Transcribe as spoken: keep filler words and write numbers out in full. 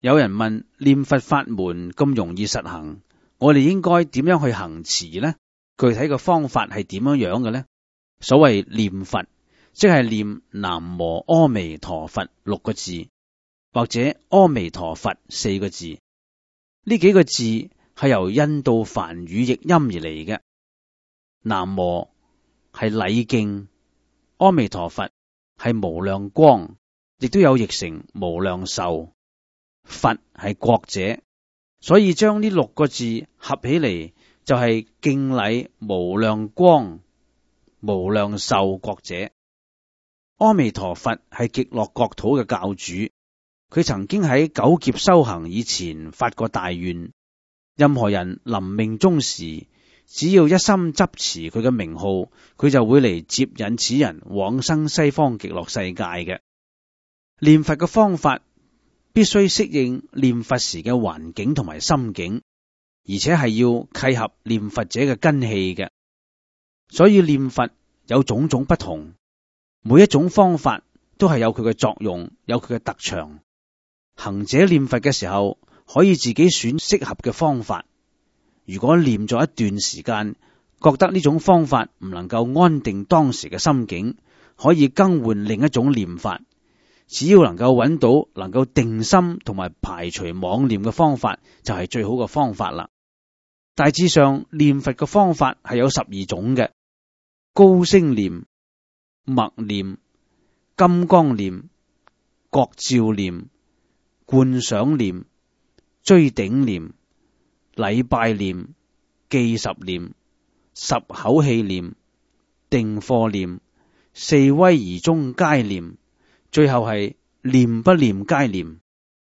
有人問念佛法門咁容易實行，我哋應該點樣去行持呢？具體嘅方法係點樣樣嘅呢？所謂念佛，即係念南無阿彌陀佛六個字，或者阿彌陀佛四個字。呢幾個字係由印度梵語譯音而嚟嘅。南無係禮敬，阿彌陀佛係無量光，亦都有譯成無量壽。佛係國者，所以將呢六個字合起嚟，就係敬禮無量光、無量壽國者。阿彌陀佛係極樂國土嘅教主，佢曾經喺九劫修行以前發過大願，任何人臨命終時，只要一心執持佢嘅名號，佢就會嚟接引此人往生西方極樂世界嘅。念佛嘅方法必須適應念佛時嘅環境同埋心境，而且係要契合念佛者嘅根器嘅。所以念佛有種種不同，每一種方法都係有佢嘅作用，有佢嘅特長。行者念佛嘅時候，可以自己選適合嘅方法。如果念咗一段時間，覺得呢種方法唔能夠安定當時嘅心境，可以更換另一種念法。只要能夠揾到能夠定心同埋排除妄念嘅方法，就係最好嘅方法啦。大致上念佛嘅方法係有十二種嘅：高聲念、默念、金剛念、覺照念、觀想念、追頂念、禮拜念、記十念、十口氣念、定課念、四威儀中皆念，最後係念不念皆念。